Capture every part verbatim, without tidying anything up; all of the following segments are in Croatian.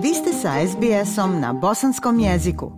Vi ste sa es bi esom na bosanskom jeziku.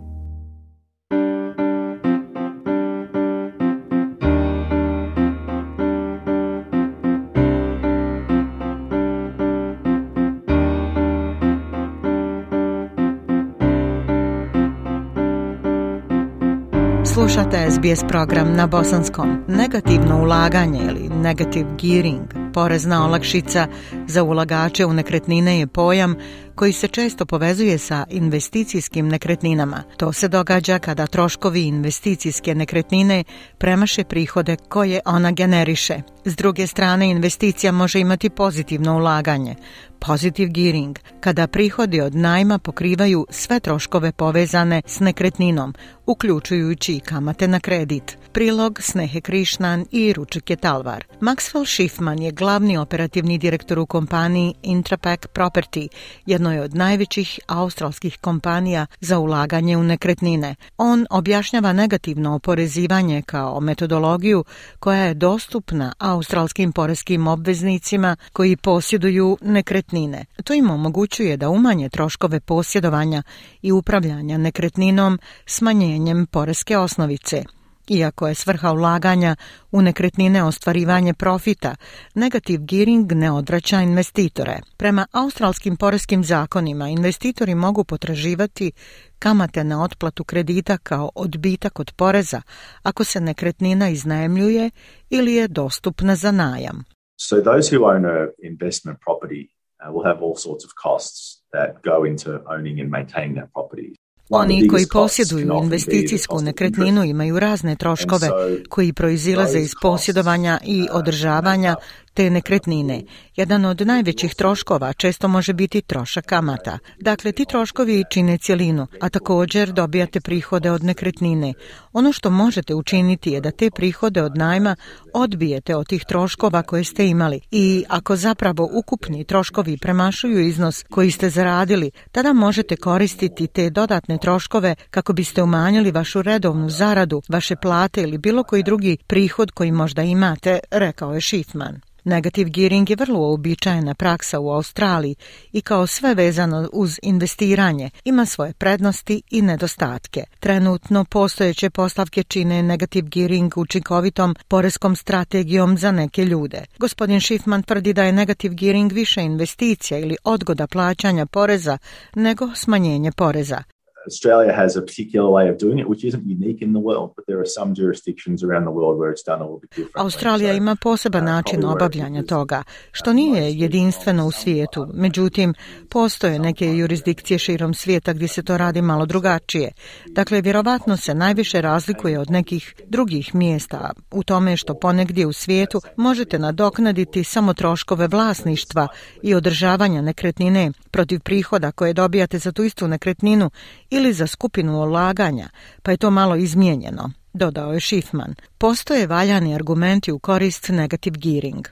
Slušate es bi es program na bosanskom. Negativno ulaganje ili negative gearing, porezna olakšica za ulagače u nekretnine je pojam koji se često povezuje sa investicijskim nekretninama. To se događa kada troškovi investicijske nekretnine premaše prihode koje ona generiše. S druge strane, investicija može imati pozitivno ulaganje, positive gearing, kada prihodi od najma pokrivaju sve troškove povezane s nekretninom, uključujući i kamate na kredit. Prilog Snehe Krišnan i Ručike Talvar. Maxwell Schiffman je glavni operativni direktor u kompaniji Intrapac Property, jednoj od najvećih australskih kompanija za ulaganje u nekretnine. On objašnjava negativno oporezivanje kao metodologiju koja je dostupna australskim poreskim obveznicima koji posjeduju nekretnine. To im omogućuje da umanje troškove posjedovanja i upravljanja nekretninom smanjenjem poreske osnovice. Iako je svrha ulaganja u nekretnine ostvarivanje profita, negative gearing ne odvraća investitore. Prema australskim poreskim zakonima, investitori mogu potraživati kamate na otplatu kredita kao odbitak od poreza ako se nekretnina iznajmljuje ili je dostupna za najam. So those who own a investment property uh, will have all sorts of costs that go into owning and maintaining that property. Oni koji posjeduju investicijsku nekretninu imaju razne troškove koji proizilaze iz posjedovanja i održavanja te nekretnine. Jedan od najvećih troškova često može biti trošak kamata. Dakle, ti troškovi čine cjelinu, a također dobijate prihode od nekretnine. Ono što možete učiniti je da te prihode od najma odbijete od tih troškova koje ste imali i ako zapravo ukupni troškovi premašuju iznos koji ste zaradili, tada možete koristiti te dodatne troškove kako biste umanjili vašu redovnu zaradu, vaše plate ili bilo koji drugi prihod koji možda imate, rekao je Schiffman. Negative gearing je vrlo uobičajena praksa u Australiji i kao sve vezano uz investiranje ima svoje prednosti i nedostatke. Trenutno postojeće postavke čine negative gearing učinkovitom poreskom strategijom za neke ljude. Gospodin Schiffman tvrdi da je negative gearing više investicija ili odgoda plaćanja poreza nego smanjenje poreza. Australia has a particular way of doing it, which isn't unique in the world, but there are some jurisdictions around the world where it's done a little bit differently. Australija ima poseban način obavljanja toga, što nije jedinstveno u svijetu. Međutim, postoje neke jurisdikcije širom svijeta gdje se to radi malo drugačije. Dakle, vjerovatno se najviše razlikuje od nekih drugih mjesta u tome što ponegdje u svijetu možete nadoknaditi samo troškove vlasništva i održavanja nekretnine protiv prihoda koje dobijate za tu istu nekretninu ili za skupinu ulaganja, pa je to malo izmijenjeno, dodao je Schiffman. Postoje valjani argumenti u korist negative gearing.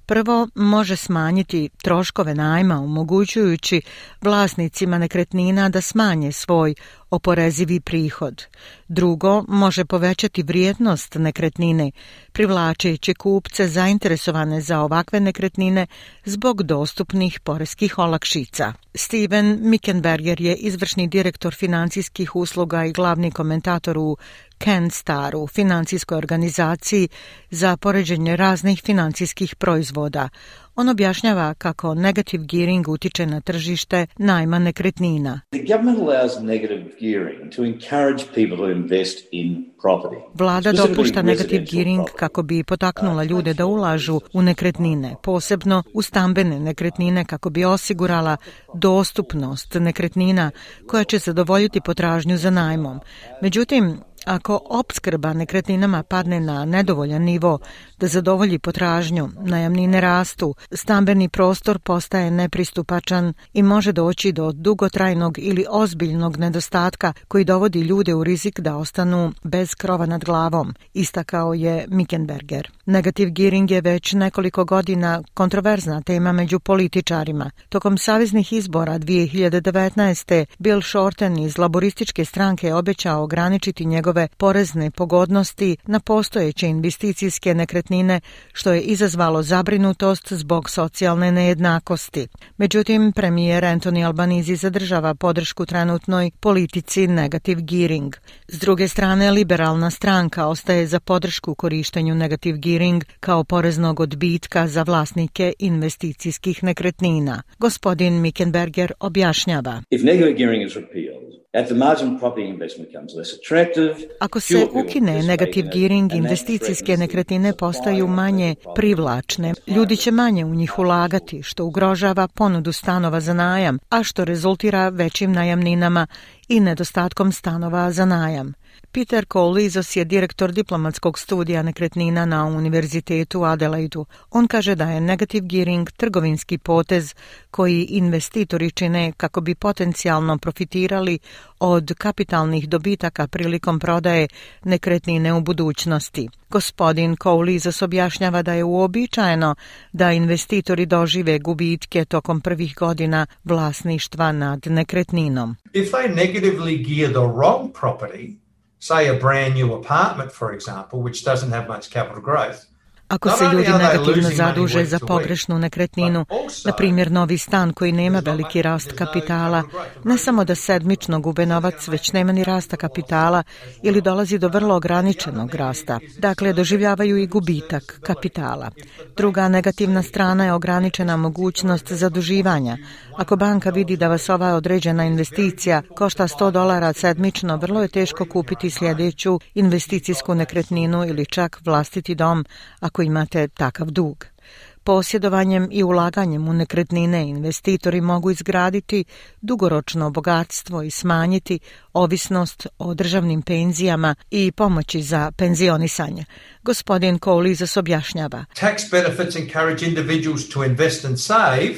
Prvo, može smanjiti troškove najma, omogućujući vlasnicima nekretnina da smanje svoj oporezivi prihod. Drugo, može povećati vrijednost nekretnine, privlačeći kupce zainteresovane za ovakve nekretnine zbog dostupnih poreskih olakšica. Steven Mickenberger je izvršni direktor financijskih usluga i glavni komentator u CanStaru, financijskoj organizaciji za poređenje raznih financijskih proizvoda. On objašnjava kako negative gearing utiče na tržište najma nekretnina. Vlada dopušta negative gearing kako bi potaknula ljude da ulažu u nekretnine, posebno u stambene nekretnine kako bi osigurala dostupnost nekretnina koja će zadovoljiti potražnju za najmom. Međutim, ako opskrba nekretninama padne na nedovoljan nivo da zadovolji potražnju, najamnine rastu, stambeni prostor postaje nepristupačan i može doći do dugotrajnog ili ozbiljnog nedostatka koji dovodi ljude u rizik da ostanu bez krova nad glavom, istakao je Mickenberger. Negative gearing je već nekoliko godina kontroverzna tema među političarima. Tokom saveznih izbora dvije hiljade devetnaeste. Bill Shorten iz laborističke stranke je obećao ograničiti njegov njegove porezne pogodnosti na postojeće investicijske nekretnine, što je izazvalo zabrinutost zbog socijalne nejednakosti. Međutim, premijer Anthony Albanese zadržava podršku trenutnoj politici negative gearing. S druge strane, liberalna stranka ostaje za podršku korištenju negative gearing kao poreznog odbitka za vlasnike investicijskih nekretnina. Gospodin Mickenberger objašnjava. If negative gearing is repealed, at the margin property investment becomes less attractive. Ako se ukine negative gearing, investicijske nekretnine postaju manje privlačne. Ljudi će manje u njih ulagati, što ugrožava ponudu stanova za najam, a što rezultira većim najamninama i nedostatkom stanova za najam. Peter Koulizos je direktor diplomatskog studija nekretnina na Univerzitetu u Adelaidu. On kaže da je negative gearing trgovinski potez koji investitori čine kako bi potencijalno profitirali od kapitalnih dobitaka prilikom prodaje nekretnine u budućnosti. Gospodin Koulizos objašnjava da je uobičajeno da investitori dožive gubitke tokom prvih godina vlasništva nad nekretninom. If they negatively gear the wrong property, say a brand new apartment, for example, which doesn't have much capital growth. Ako se ljudi negativno zaduže za pogrešnu nekretninu, na primjer novi stan koji nema veliki rast kapitala, ne samo da sedmično gube novac, već nema ni rasta kapitala ili dolazi do vrlo ograničenog rasta. Dakle, doživljavaju i gubitak kapitala. Druga negativna strana je ograničena mogućnost zaduživanja. Ako banka vidi da vas ova određena investicija košta sto dolara sedmično, vrlo je teško kupiti sljedeću investicijsku nekretninu ili čak vlastiti dom ako imate takav dug. Posjedovanjem i ulaganjem u nekretnine investitori mogu izgraditi dugoročno bogatstvo i smanjiti ovisnost o državnim penzijama i pomoći za penzionisanje. Gospodin Koulizos objašnjava. Tax benefits encourage individuals to invest and save,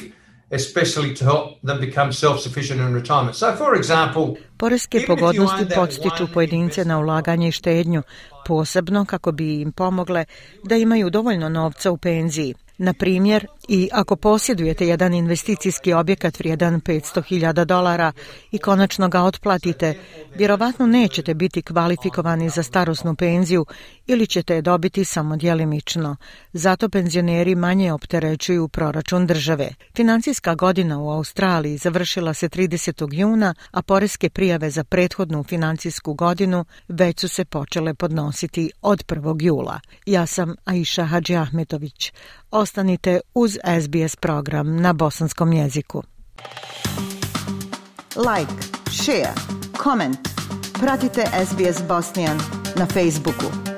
especially to help them become self-sufficient in retirement. So, for example, poreske pogodnosti podstiču pojedince na ulaganje i štednju, posebno kako bi im pomogle da imaju dovoljno novca u penziji. Na primjer, i ako posjedujete jedan investicijski objekat vrijedan petsto hiljada dolara i konačno ga otplatite, vjerovatno nećete biti kvalifikovani za starosnu penziju ili ćete je dobiti samo djelimično. Zato penzioneri manje opterećuju proračun države. Financijska godina u Australiji završila se tridesetog juna, a poreske prijave za prethodnu financijsku godinu već su se počele podnositi od prvog jula. Ja sam Aisha Hadži Ahmetović. Ostanite uz S B S program na bosanskom jeziku. Like, share, comment. Pratite S B S Bosnian na Facebooku.